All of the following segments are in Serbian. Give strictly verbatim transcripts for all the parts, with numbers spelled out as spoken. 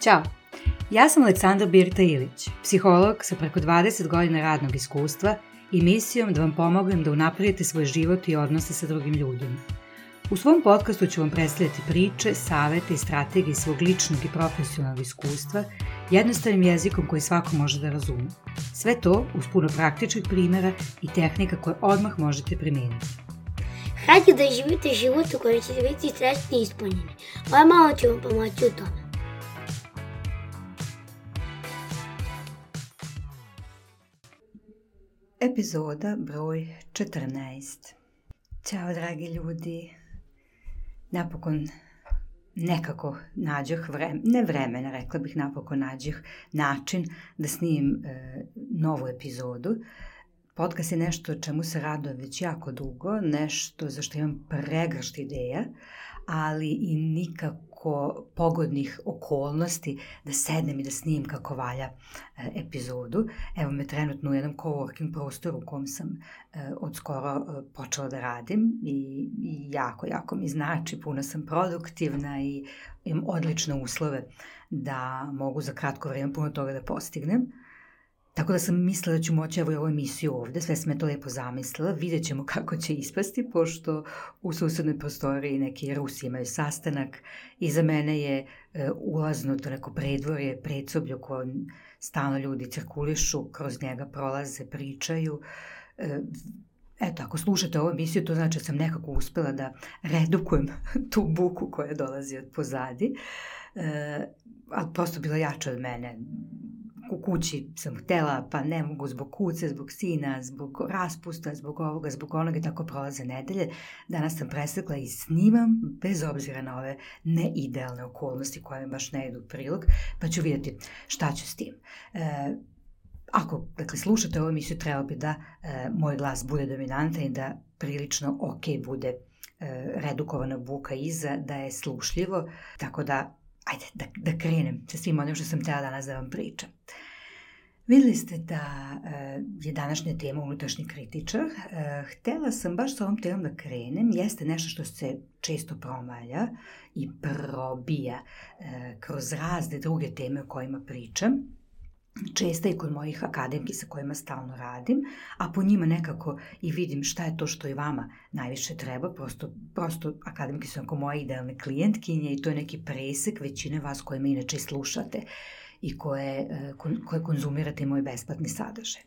Ćao, ja sam Aleksandra Birta Ilić, psiholog sa preko dvadeset godina radnog iskustva i misijom da vam pomognem da unapredite svoj život i odnose sa drugim ljudima. U svom podcastu ću vam predstavljati priče, savete i strategije svog ličnog i profesionalnog iskustva jednostavnim jezikom koji svako može da razume. Sve to uz puno praktičnih primjera i tehnika koje odmah možete primijeniti. Hajde da živite život u kojem ćete biti srećni i ispunjeni. Ovo malo ću vam pomoći u tome. Epizoda broj četrnaest. Ćao dragi ljudi. Napokon nekako nađoh vremena, ne vremena, rekla bih napokon nađoh način da snimim e, novu epizodu. Podcast je nešto čemu se radujem već jako dugo, nešto za što imam pregršt ideja, ali i nikako pogodnih okolnosti da sednem i da snimim kako valja e, epizodu. Evo me trenutno u jednom coworking prostoru u kom sam e, od skoro e, počela da radim i, i jako, jako mi znači, puno sam produktivna i imam odlične uslove da mogu za kratko vrijeme puno toga da postignem. Tako da sam mislila da ću moći evo i ovu emisiju ovde, sve sam je to lijepo zamislila, vidjet ćemo kako će ispasti, pošto u susednoj prostoriji neki Rusi imaju sastanak. Iza mene je e, ulazno to neko predvorje, predsoblje u kojem stalno ljudi cirkulišu, kroz njega prolaze, pričaju. E, eto, ako slušate ovu emisiju, to znači da sam nekako uspela da redukujem tu buku koja dolazi od pozadi, e, ali prosto bila jača od mene. U kući sam htjela, pa ne mogu zbog kuce, zbog sina, zbog raspusta, zbog ovoga, zbog onoga i tako prolaze nedelje. Danas sam presekla i snimam bez obzira na ove neidealne okolnosti koje mi baš ne idu u prilog, pa ću vidjeti šta ću s tim. E, ako dakle, slušate ovu emisiju, treba bi da e, moj glas bude dominantan i da prilično ok bude e, redukovana buka iza, da je slušljivo, tako da ajde da, da krenem sa svim onim što sam htjela danas da vam pričam. Vidjeli ste da e, je današnja tema unutrašnji kritičar. E, htjela sam baš sa ovom temom da krenem. Jeste nešto što se često promalja i probija e, kroz razne druge teme o kojima pričam. Često i kod mojih akademki sa kojima stalno radim, a po njima nekako i vidim šta je to što i vama najviše treba. Prosto, prosto akademki su onako moje idealne klijentkinje i to je neki presek većine vas koje me inače slušate i koje, koje konzumirate moj besplatni sadržaj.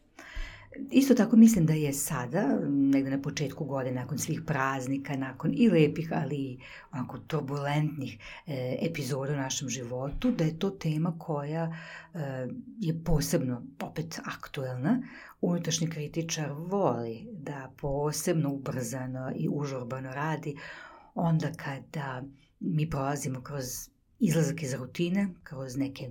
Isto tako mislim da je sada, negdje na početku godine, nakon svih praznika, nakon i lepih, ali i onako turbulentnih e, epizoda u našem životu, da je to tema koja e, je posebno opet aktuelna. Unutrašnji kritičar voli da posebno ubrzano i užurbano radi onda kada mi prolazimo kroz izlazak iz rutine, kroz neke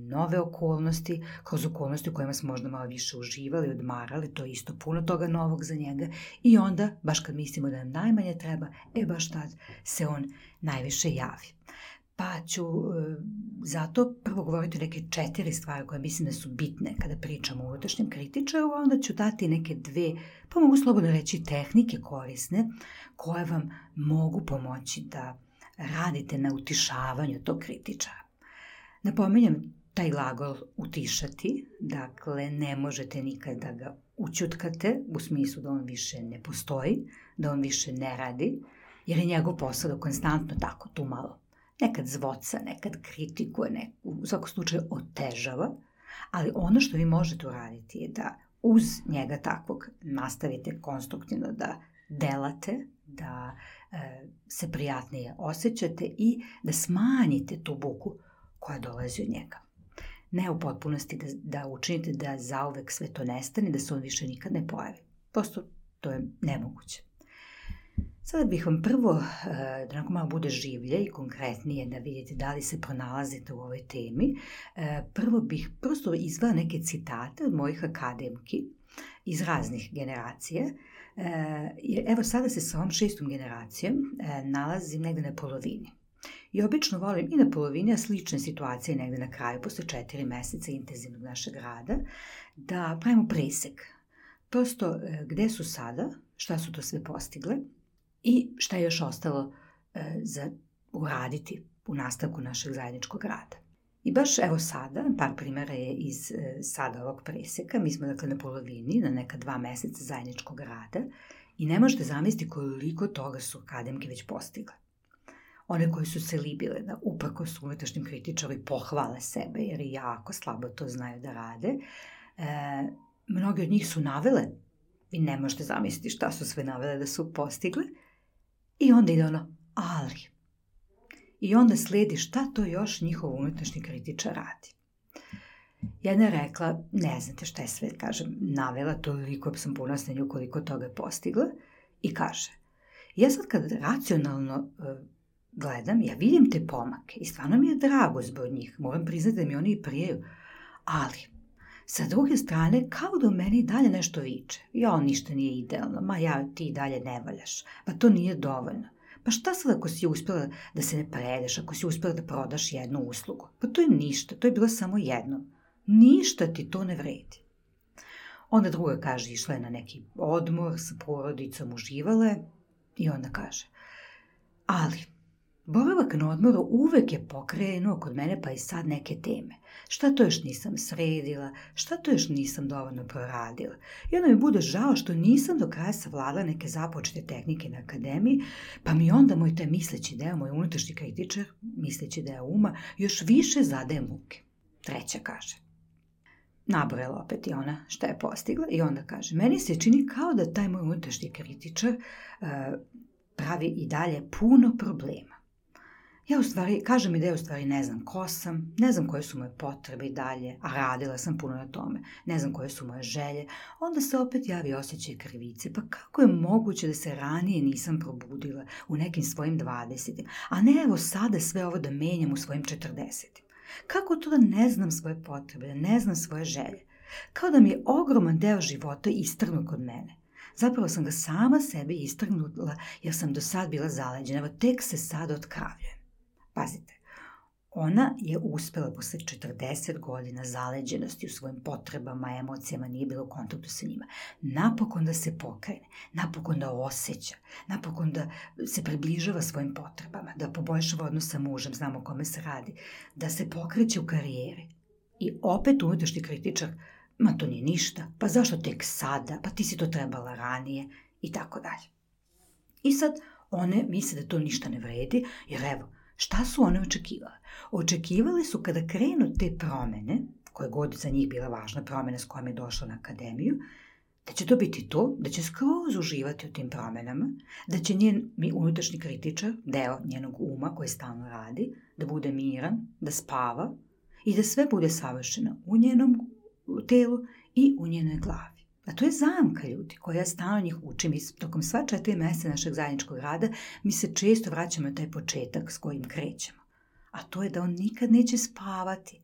nove okolnosti, kroz okolnosti u kojima smo možda malo više uživali, odmarali, to je isto puno toga novog za njega i onda, baš kad mislimo da nam najmanje treba, e baš tad se on najviše javi. Pa ću e, zato prvo govoriti o neke četiri stvari koje mislim da su bitne kada pričamo o unutrašnjem kritičaru, a onda ću dati neke dve, pa mogu slobodno reći tehnike korisne, koje vam mogu pomoći da radite na utišavanju tog kritičara. Napominjem taj glagol utišati, dakle ne možete nikad da ga učutkate u smislu da on više ne postoji, da on više ne radi, jer je njegov posao da konstantno tako tu malo nekad zvoca, nekad kritikuje, nekad, u svakom slučaju otežava, ali ono što vi možete uraditi je da uz njega takvog nastavite konstruktivno da delate, da e, se prijatnije osjećate i da smanjite tu buku koja dolazi od njega. Ne u potpunosti da, da učinite da zauvek sve to nestane, da se on više nikad ne pojavi. Prosto to je nemoguće. Sada bih vam prvo, e, da nakon malo bude življe i konkretnije da vidite da li se pronalazite u ovoj temi, e, prvo bih prosto izvela neke citate od mojih akademki iz raznih generacija. E, evo sada se sa ovom šestom generacijom e, nalazim negdje na polovini. I obično volim i na polovini, a slične situacije negdje na kraju, posle četiri mjeseca intenzivnog našeg rada, da pravimo presek. Prosto e, gde su sada, šta su to sve postigle i šta je još ostalo e, za uraditi u nastavku našeg zajedničkog rada. I baš evo sada, par primjera je iz e, sada ovog preseka, mi smo dakle na polovini, na neka dva meseca zajedničkog rada i ne možete zamisliti koliko toga su akademke već postigle. One koje su se libile da uprkos unutrašnjim kritičari pohvale sebe, jer i jako slabo to znaju da rade, e, mnogi od njih su navele, vi ne možete zamisliti šta su sve navele da su postigle, i onda ide ono, ali. I onda sledi šta to još njihov unutrašnji kritičar radi. Jedna je rekla, ne znate šta je sve, kažem, navela, toliko sam ponosna nju koliko toga je postigla, i kaže, ja sad kad racionalno uh, gledam, ja vidim te pomake i stvarno mi je drago zbog njih, moram priznati da mi oni i prijaju, ali sa druge strane, kao da u meni dalje nešto viče, ja, ništa nije idealno, ma ja, ti dalje ne valjaš, pa to nije dovoljno. Pa šta sad ako si uspjela da se ne predeš, ako si uspjela da prodaš jednu uslugu? Pa to je ništa, to je bilo samo jedno. Ništa ti to ne vredi. Onda druga kaže, išla je na neki odmor, sa porodicom uživale i onda kaže, ali boravak na odmoru uvek je pokrenuo kod mene pa i sad neke teme. Šta to još nisam sredila, šta to još nisam dovoljno proradila. I onda mi bude žao što nisam do kraja savladala neke započete tehnike na akademiji, pa mi onda moj taj misleći deo, moj unutrašnji kritičar, misleći deo uma, još više zadaje muke. Treća kaže, nabrojala opet i ona šta je postigla i onda kaže, meni se čini kao da taj moj unutrašnji kritičar uh, pravi i dalje puno problema. Ja u stvari, kaže mi da ja u stvari ne znam ko sam, ne znam koje su moje potrebe i dalje, a radila sam puno na tome, ne znam koje su moje želje, onda se opet javi osjećaj krivice, pa kako je moguće da se ranije nisam probudila u nekim svojim dvadesetim, a ne evo sada sve ovo da menjam u svojim četrdesetim. Kako to da ne znam svoje potrebe, da ne znam svoje želje? Kao da mi je ogroman deo života istrgnut kod mene. Zapravo sam ga sama sebi istrgnula jer sam do sad bila zaleđena, evo tek se sad otkravljujem. Pazite, ona je uspjela posle četrdeset godina zaleđenosti u svojim potrebama, emocijama, nije bila u kontaktu sa njima. Napokon da se pokrene, napokon da osjeća, napokon da se približava svojim potrebama, da poboljšava odnos sa mužem, znamo o kome se radi, da se pokreće u karijeri. I opet unutrašnji kritičar, ma to nije ništa, pa zašto tek sada, pa ti si to trebala ranije i tako dalje. I sad one misle da to ništa ne vredi, jer evo, šta su one očekivale? Očekivale su kada krenu te promene, koje god za njih bila važna promena s kojom je došla na akademiju, da će to biti to, da će skroz uživati u tim promenama, da će njen unutrašnji kritičar, deo njenog uma koji stalno radi, da bude miran, da spava i da sve bude savršeno u njenom telu i u njenoj glavi. A to je zamka, ljudi, koja ja stalno njih učim. I tokom sva četiri mjeseca našeg zajedničkog rada mi se često vraćamo na taj početak s kojim krećemo. A to je da on nikad neće spavati.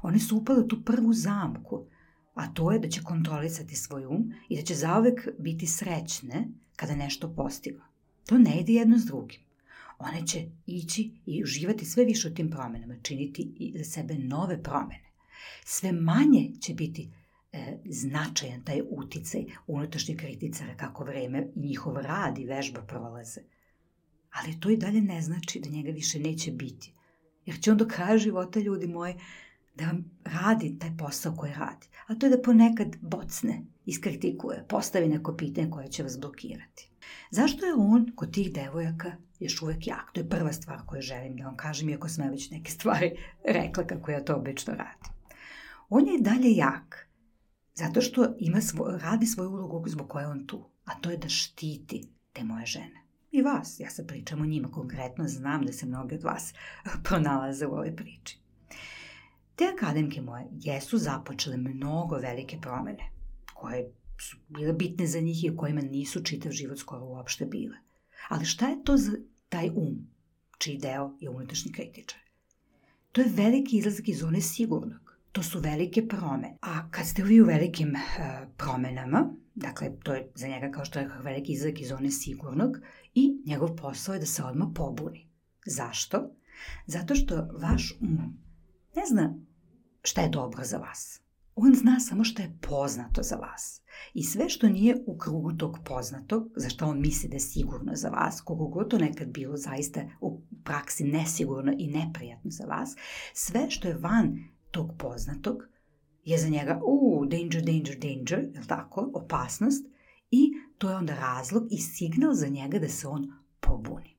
One su upale u tu prvu zamku, a to je da će kontrolisati svoj um i da će zauvek biti srećne kada nešto postignu. To ne ide jedno s drugim. One će ići i uživati sve više u tim promjenama, činiti i za sebe nove promjene. Sve manje će biti e, značajan taj uticaj unutrašnjih kritičara kako vreme i njihov rad i vežba prolaze. Ali to i dalje ne znači da njega više neće biti. Jer će on do kraja života, ljudi moji, da vam radi taj posao koji radi. A to je da ponekad bocne, iskritikuje, postavi neko pitanje koje će vas blokirati. Zašto je on kod tih devojaka još uvek jak? To je prva stvar koju želim da vam kažem, iako sam ja već neke stvari rekla kako ja to obično radim. On je i dalje jak, zato što ima svoj, radi svoju ulogu zbog koje je on tu, a to je da štiti te moje žene. I vas, ja sad pričam o njima konkretno, znam da se mnogi od vas pronalaze u ovoj priči. Te akademke moje jesu započele mnogo velike promjene, koje su bile bitne za njih i o kojima nisu čitav život skoro uopšte bile. Ali šta je to za taj um, čiji deo je unutrašnji kritičar? To je veliki izlazak iz zone sigurnog. To su velike promjene. A kad ste vi u velikim uh, promjenama, dakle, to je za njega, kao što je veliki izlazak iz zone sigurnog, i njegov posao je da se odmah pobuni. Zašto? Zato što vaš um ne zna šta je dobro za vas. On zna samo šta je poznato za vas. I sve što nije u krugu tog poznatog, za što on misli da je sigurno za vas, koliko god to nekad bilo zaista u praksi nesigurno i neprijatno za vas, sve što je van tog poznatog je za njega uh, danger, danger, danger, je li tako, opasnost, i to je onda razlog i signal za njega da se on pobuni.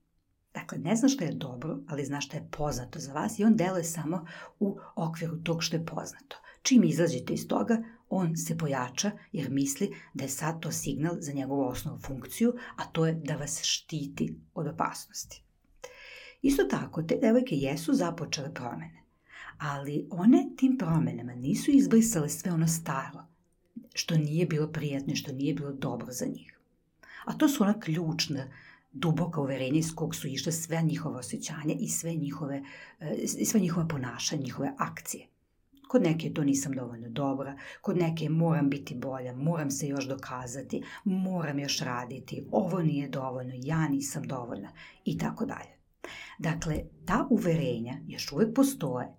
Dakle, ne zna što je dobro, ali zna što je poznato za vas i on deluje samo u okviru tog što je poznato. Čim izađete iz toga, on se pojača jer misli da je sad to signal za njegovu osnovnu funkciju, a to je da vas štiti od opasnosti. Isto tako, te devojke jesu započele promene, ali one tim promenama nisu izbrisale sve ono staro, što nije bilo prijatno i što nije bilo dobro za njih. A to su ona ključna, duboka uverenja iz kog su išle sve njihove osjećanja i sve njihove, sve njihova ponašanja, njihove akcije. Kod neke to nisam dovoljno dobra, kod neke moram biti bolja, moram se još dokazati, moram još raditi, ovo nije dovoljno, ja nisam dovoljna i tako dalje. Dakle, ta uverenja još uvek postoje.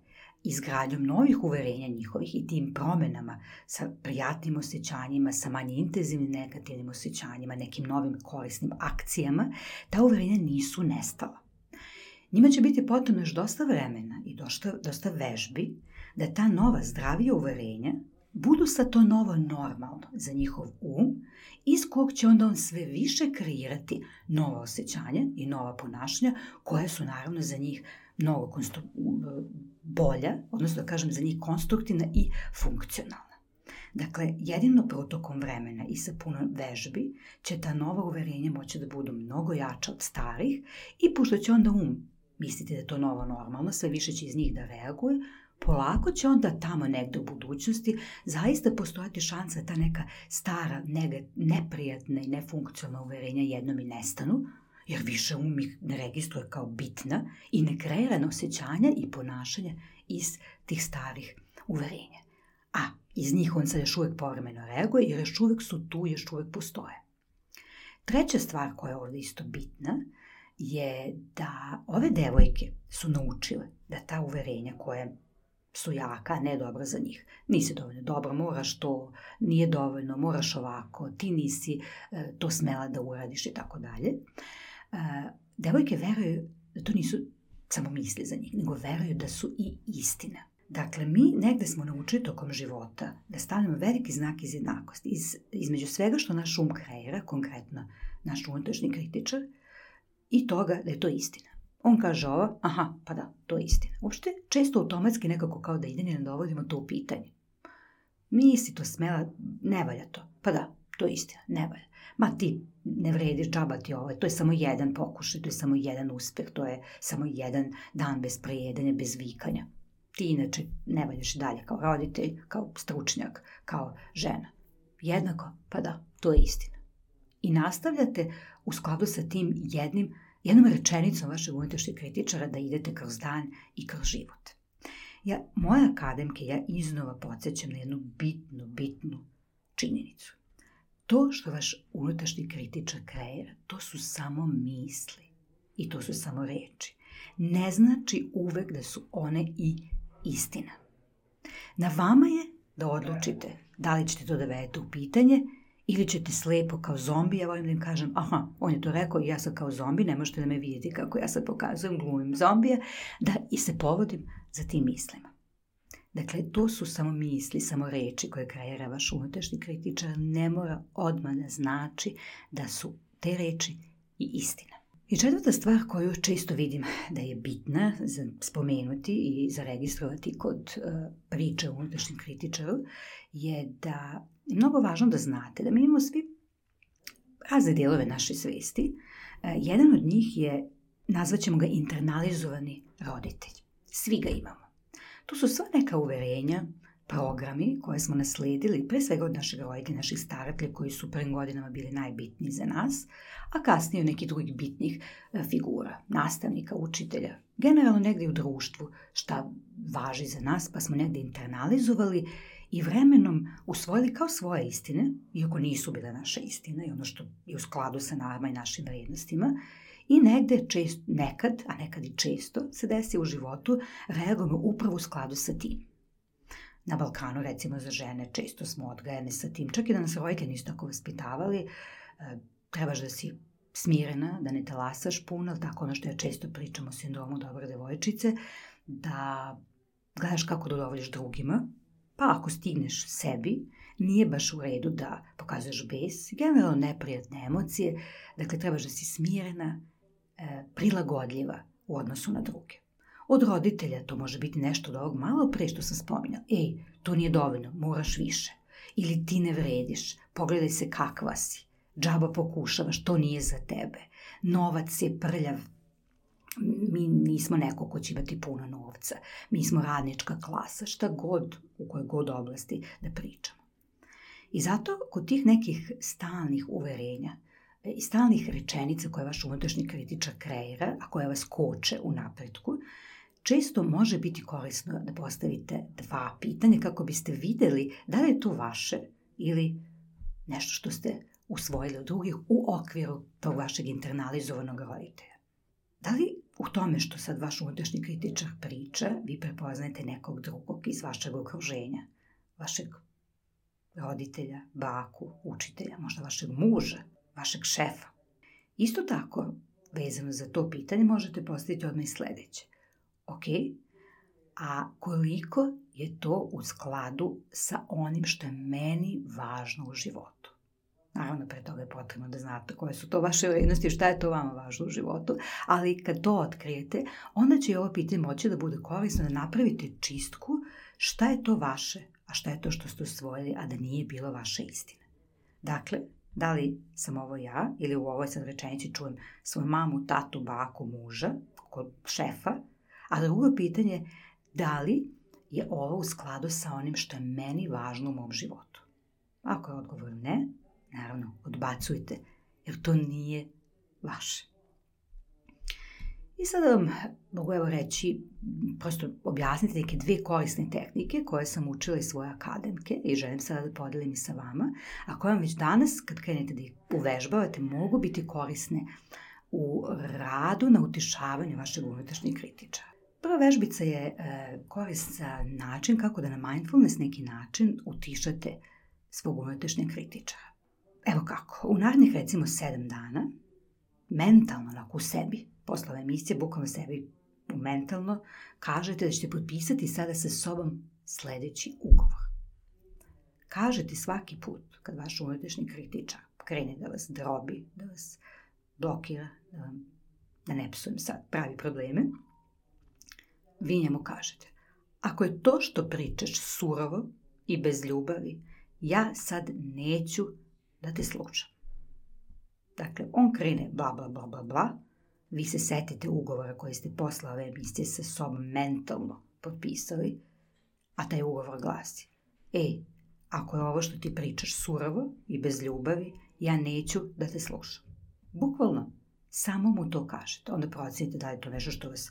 Izgradnjom novih uverenja njihovih i tim promenama sa prijatnim osjećanjima, sa manje intenzivnim negativnim osjećanjima, nekim novim korisnim akcijama, ta uverenja nisu nestala. Njima će biti potrebno još dosta vremena i dosta, dosta vežbi da ta nova zdravija uverenja budu sa to novo normalno za njihov um, iz kog će onda on sve više kreirati nova osjećanja i nova ponašanja koja su naravno za njih mnogo konstru... bolja, odnosno da kažem za njih konstruktivna i funkcionalna. Dakle, jedino protokom vremena i sa puno vežbi će ta nova uverenja moći da budu mnogo jača od starih i pošto će onda um misliti da je to novo normalno, sve više će iz njih da reaguje, polako će onda tamo negde u budućnosti zaista postojati šansa da ta neka stara, neprijatna i nefunkcionalna uverenja jednom i nestanu, jer više um ih ne registruje kao bitna i ne kreira osjećanja i ponašanja iz tih starih uverenja. A iz njih on sad još uvek povremeno reaguje jer još uvek su tu, još uvek postoje. Treća stvar koja je ovdje isto bitna je da ove devojke su naučile da ta uverenja koje su jaka, ne dobra za njih. Nisi dovoljno dobro, moraš to, nije dovoljno, moraš ovako, ti nisi e, to smela da uradiš i tako dalje. Devojke veruju da to nisu samo misli za njih, nego veruju da su i istina. Dakle, mi negde smo naučili tokom života da stavljamo veliki znak iz jednakosti. Iz, između svega što naš um kreira, konkretno naš unutrašnji kritičar, i toga da je to istina. On kaže ovo, aha, pa da, to je istina. Uopšte, često automatski nekako kao da ide ne dovodimo to u pitanje. Nisi to smela, ne valja to. Pa da, to je istina, ne valja. Ma ti ne vrediš, džaba ti ovo, to je samo jedan pokušaj, to je samo jedan uspeh, to je samo jedan dan bez prejedanja, bez vikanja. Ti inače ne valjaš dalje kao roditelj, kao stručnjak, kao žena. Jednako, pa da, to je istina. I nastavljate u skladu sa tim jednim, jednom rečenicom vašeg unutrašnjeg kritičara da idete kroz dan i kroz život. Ja, moje akademke, ja iznova podsjećam na jednu bitnu, bitnu činjenicu. To što vaš unutrašnji kritičar kreira, to su samo misli i to su samo reči. Ne znači uvek da su one i istina. Na vama je da odlučite da li ćete to da vedete u pitanje ili ćete slepo kao zombi, ja volim da im kažem, aha, on je to rekao i ja sam kao zombi, ne možete da me vidjeti kako ja sad pokazujem, glumim zombija, da i se povodim za tim mislima. Dakle, to su samo misli, samo reči koje kreira vaš unutrašnji kritičar, ne mora odmah da znači da su te reči i istina. I četvrta stvar koju često vidim da je bitna za spomenuti i zaregistrovati kod uh, priče o unutrašnjem kritičaru je da je mnogo važno da znate da mi imamo svi razne dijelove naše svesti. Uh, jedan od njih je, nazvaćemo ga internalizovani roditelj. Svi ga imamo. To su sva neka uverenja, programi koje smo nasledili, pre svega od našeg roditelja, naših staratelja koji su prvim godinama bili najbitniji za nas, a kasnije od nekih drugih bitnih figura, nastavnika, učitelja, generalno negdje u društvu šta važi za nas, pa smo negdje internalizovali i vremenom usvojili kao svoje istine, iako nisu bile naše istine i ono što je u skladu sa nama i našim vrijednostima, i negde čest, nekad, a nekad i često se desi u životu, reagujemo upravo u skladu sa tim. Na Balkanu, recimo za žene, često smo odgajane sa tim, čak i da nas roditelji nisu tako vaspitavali, trebaš da si smirena, da ne talasaš puno, tako ono što ja često pričam o sindromu dobre devojčice, da gledaš kako da udovoljiš drugima, pa ako stigneš sebi, nije baš u redu da pokazuješ bes, generalno neprijatne emocije, dakle trebaš da si smirena, e, prilagodljiva u odnosu na druge. Od roditelja to može biti nešto od ovog malo pre što sam spominjala. Ej, to nije dovoljno, moraš više. Ili ti ne vrediš, pogledaj se kakva si, džaba pokušavaš, to nije za tebe. Novac je prljav, mi nismo neko ko će imati puno novca, mi smo radnička klasa, šta god, u kojoj god oblasti da pričamo. I zato kod tih nekih stalnih uverenja i stalnih rečenica koje vaš unutrašnji kritičar kreira, a koje vas koče u napretku, često može biti korisno da postavite dva pitanja kako biste videli da li je to vaše ili nešto što ste usvojili od drugih u okviru tog vašeg internalizovanog roditelja. Da li u tome što sad vaš unutrašnji kritičar priča, vi prepoznajete nekog drugog iz vašeg okruženja, vašeg roditelja, baku, učitelja, možda vašeg muža, vašeg šefa? Isto tako, vezano za to pitanje, možete postaviti odmah i sledeće. Ok, a koliko je to u skladu sa onim što je meni važno u životu? Naravno, pre toga je potrebno da znate koje su to vaše vrednosti i šta je to vama važno u životu, ali kad to otkrijete, onda će i ovo pitanje moći da bude korisno da napravite čistku šta je to vaše, a šta je to što ste usvojili, a da nije bilo vaša istina. Dakle, da li sam ovo ja ili u ovoj sad rečenici čujem svoju mamu, tatu, baku, muža, kod šefa, a drugo pitanje, da li je ovo u skladu sa onim što je meni važno u mom životu? Ako je odgovor ne, naravno, odbacujte, jer to nije vaše. I sada vam mogu evo reći, prosto objasniti neke dve korisne tehnike koje sam učila iz svoje akademke i želim sada da podelim i sa vama, a koje vam već danas, kad krenete da ih uvežbavate, mogu biti korisne u radu na utišavanju vašeg unutrašnjeg kritičara. Prva vežbica je e, koristan način kako da na mindfulness neki način utišate svog unutrašnjeg kritičara. Evo kako, u narednih recimo sedam dana, mentalno, onako u sebi, posle ove emisije, bukvalno sebi mentalno, kažete da ćete potpisati sada sa sobom sledeći ugovor. Kažete svaki put kad vaš unutrašnji kritičar krene da vas drobi, da vas blokira, da, vam, da ne psujem sad, pravi probleme, vi njemu kažete, ako je to što pričaš surovo i bez ljubavi, ja sad neću da te slušam. Dakle, on krene bla, bla, bla, bla, bla, vi se setite ugovora koji ste posle ove emisije sa sobom mentalno potpisali, a taj ugovor glasi, ej, ako je ovo što ti pričaš surovo i bez ljubavi, ja neću da te slušam. Bukvalno, samo mu to kažete. Onda procenite da li je to nešto što vas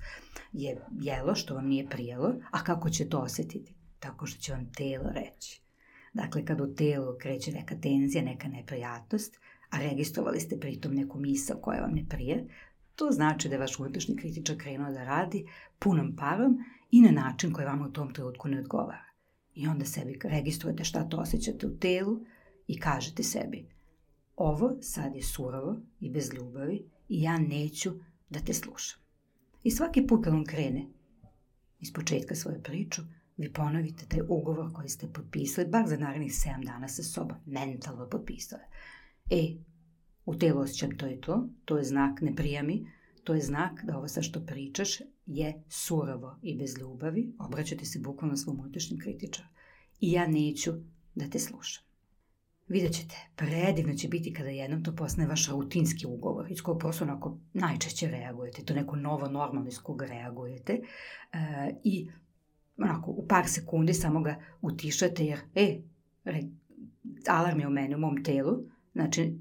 je jelo, što vam nije prijelo, a kako će to osetiti? Tako što će vam telo reći. Dakle, kad u telu kreće neka tenzija, neka neprijatnost, a registrovali ste pritom neku misao koja vam ne prije, to znači da je vaš unutrašnji kritičar krenuo da radi punom parom i na način koji vama u tom trenutku ne odgovara. I onda sebi registrujete šta to osjećate u telu i kažete sebi, ovo sad je surovo i bez ljubavi i ja neću da te slušam. I svaki put kad on krene iz početka svoje priču, vi ponovite taj ugovor koji ste potpisali, bar za narednih sedam dana sa sobom, mentalno potpisali. E, u telu osjećam to i to, to je znak ne prijami, to je znak da ovo sa što pričaš je surovo i bez ljubavi, obraćate se bukvalno svom unutrašnjem kritičaru i ja neću da te slušam. Vidjet ćete, predivno će biti kada jednom to postane vaš rutinski ugovor, iz kojeg prosto onako najčešće reagujete, to neko novo normalno iz kog reagujete e, i onako u par sekundi samo ga utišate jer, e, re, alarm je u mene, u mom telu, znači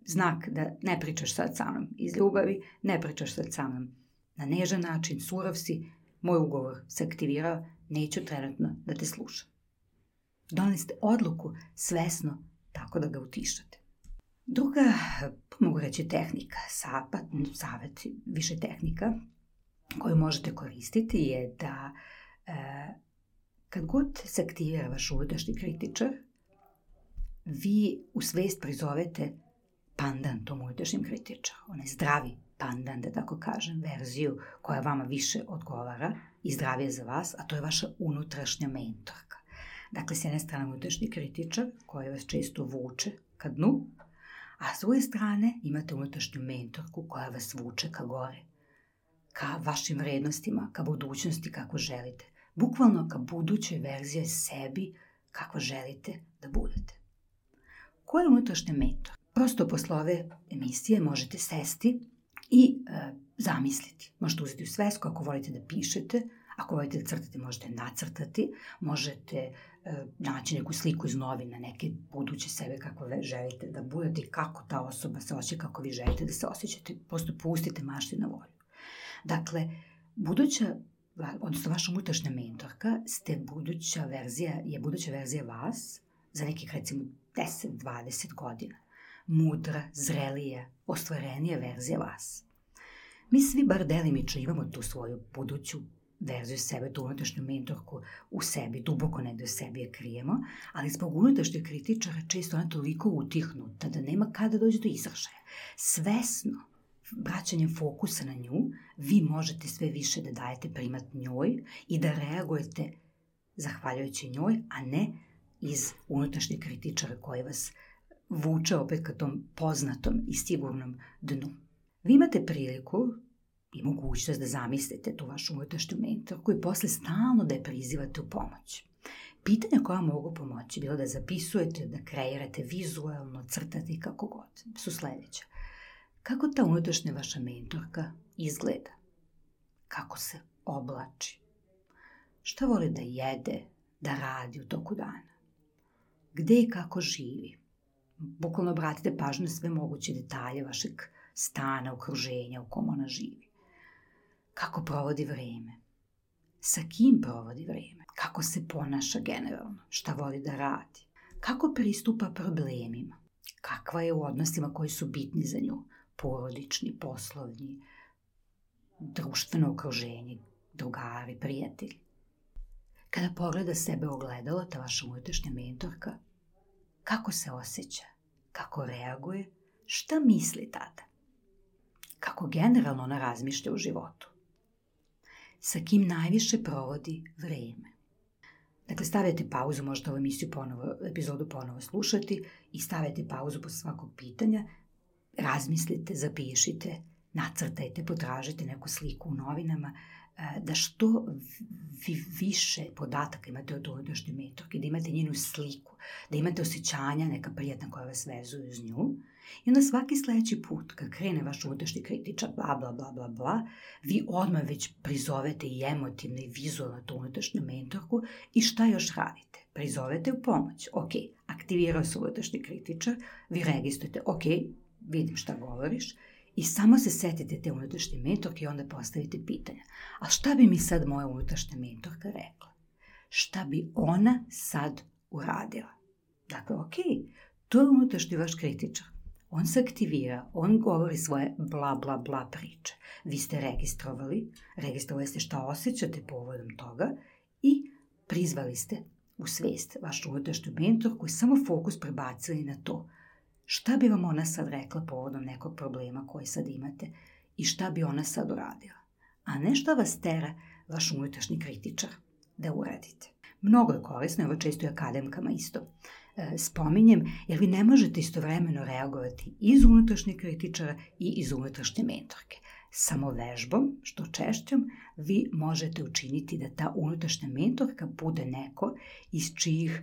znak da ne pričaš sad sa mnom iz ljubavi, ne pričaš sad sa mnom na nežan način, surov si, moj ugovor se aktivirao, neću trenutno da te slušam. Doneli ste odluku svesno tako da ga utišate. Druga, mogu reći tehnika, sapat, savjet, više tehnika koju možete koristiti je da e, kad god se aktivira vaš unutrašnji kritičar, vi u svest prizovete pandan tom unutrašnjem kritičaru, onaj zdravi pandan, da tako kažem, verziju koja vama više odgovara i zdravije za vas, a to je vaša unutrašnja mentorka. Dakle, s jedne strane unutrašnji kritičar koji vas često vuče ka dnu, a s druge strane imate unutrašnju mentorku koja vas vuče ka gore, ka vašim vrednostima, ka budućnosti kako želite. Bukvalno ka budućoj verziji sebi kako želite da budete. Ko je unutrašnja mentor? Prosto posle ove emisije možete sesti i e, zamisliti. Možete uzeti u svesku ako volite da pišete, ako volite da crtate možete nacrtati, možete e, naći neku sliku iz novina, neke buduće sebe kako želite da budete i kako ta osoba se osjeća, kako vi želite da se osjećate. Prosto pustite mašti na volju. Dakle, buduća, odnosno vaša unutrašnja mentorka ste buduća verzija, je buduća verzija vas za nekih recimo deset do dvadeset godina. Mudra, zrelija, ostvarenija verzija vas. Mi svi bar delimično imamo tu svoju buduću verziju sebe, tu unutrašnju mentorku u sebi, duboko negde u sebi je krijemo, ali zbog unutrašnjeg kritičara često ona toliko utihnuta da nema kada dođe do izražaja. Svesno, vraćanjem fokusa na nju, vi možete sve više da dajete primat njoj i da reagujete zahvaljujući njoj, a ne iz unutrašnjeg kritičara koji vas vuče opet ka tom poznatom i sigurnom dnu. Vi imate priliku i mogućnost da zamislite tu vašu unutrašnju mentorku i posle stalno da je prizivate u pomoć. Pitanja koja mogu pomoći, bilo da zapisujete, da kreirate vizualno, crtate i kako god, su sledeća. Kako ta unutrašnja vaša mentorka izgleda? Kako se oblači? Šta voli da jede, da radi u toku dana? Gde i kako živi? Bukvalno obratite pažnju na sve moguće detalje vašeg stana, okruženja u kom ona živi. Kako provodi vreme? Sa kim provodi vreme? Kako se ponaša generalno? Šta voli da radi? Kako pristupa problemima? Kakva je u odnosima koji su bitni za nju? Porodični, poslovni, društveno okruženje, drugari, prijatelji. Kada pogleda sebe u ogledalo, ta vaša unutrašnja mentorka, kako se osjeća, kako reaguje, šta misli tada, kako generalno ona razmišlja u životu, sa kim najviše provodi vreme. Dakle, stavite pauzu, možete ovu emisiju ponovo, epizodu ponovo slušati i stavite pauzu posle svakog pitanja, razmislite, zapišite, nacrtajte, potražite neku sliku u novinama, da što vi više podataka imate od unutrašnje mentorke, da imate njenu sliku, da imate osjećanja neka prijatna koja vas vezuju uz nju. I onda svaki sledeći put, kad krene vaš unutrašnji kritičar, bla, bla, bla, bla, bla, vi odmah već prizovete i emotivno i vizualno tu unutrašnju mentorku i šta još radite? Prizovete u pomoć. Ok, aktivirao se unutrašnji kritičar, vi registrujete, ok, vidim šta govoriš, i samo se setite te unutrašnje mentorke i onda postavite pitanja. A šta bi mi sad moja unutrašnja mentorka rekla? Šta bi ona sad uradila? Dakle, ok, to je unutrašnji vaš kritičar. On se aktivira, on govori svoje bla, bla, bla priče. Vi ste registrovali, registrovali ste šta osjećate povodom toga i prizvali ste u svest vašu unutrašnju mentorku i samo fokus prebacili na to. Šta bi vam ona sad rekla povodom nekog problema koji sad imate i šta bi ona sad uradila? A ne šta vas tera vaš unutrašnji kritičar da uradite. Mnogo je korisno, ovo često i akademkama isto e, spominjem, jer vi ne možete istovremeno reagovati iz unutrašnjeg kritičara i iz unutrašnje mentorke. Samo vežbom, što češćom, vi možete učiniti da ta unutrašnja mentorka bude neko iz čijih e,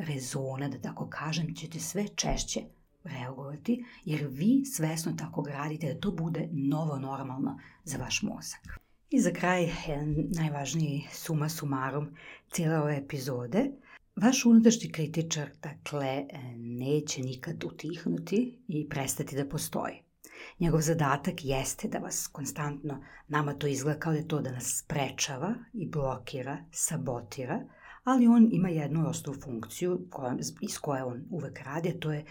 rezona, da tako kažem, ćete sve češće reagovati, jer vi svesno tako gradite da to bude novo normalno za vaš mozak. I za kraj, jedan najvažniji suma sumarum cijele ove epizode. Vaš unutrašnji kritičar, dakle, neće nikad utihnuti i prestati da postoji. Njegov zadatak jeste da vas konstantno, nama to izgleda kao da je to da nas sprečava i blokira, sabotira, ali on ima jednu osnovnu funkciju koja, iz koje on uvek radi, a to je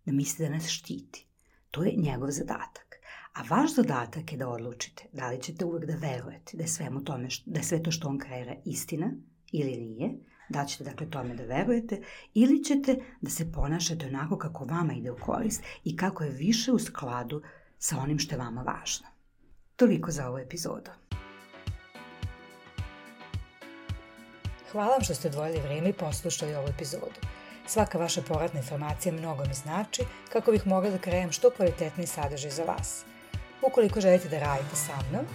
da misli da nas štiti. To je njegov zadatak. A vaš zadatak je da odlučite da li ćete uvek da verujete da je, svemu tome, da je sve to što on kreira istina ili nije, Da ćete dakle tome da verujete ili ćete da se ponašate onako kako vama ide u korist i kako je više u skladu sa onim što je vama važno. Toliko za ovu epizodu. Hvala vam što ste odvojili vrijeme i poslušali ovu epizodu. Svaka vaša povratna informacija mnogo mi znači kako bih mogla da krenem što kvalitetniji sadržaj za vas. Ukoliko želite da radite sa mnom,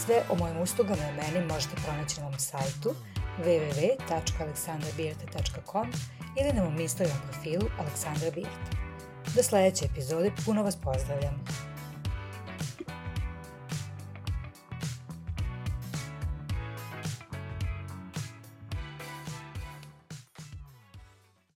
sve o mojim uslugama i meni možete pronaći na mom sajtu w w w tačka aleksandra birta tačka com ili na mom Instagram profilu Aleksandra Birta. Do sljedeće epizode puno vas pozdravljam.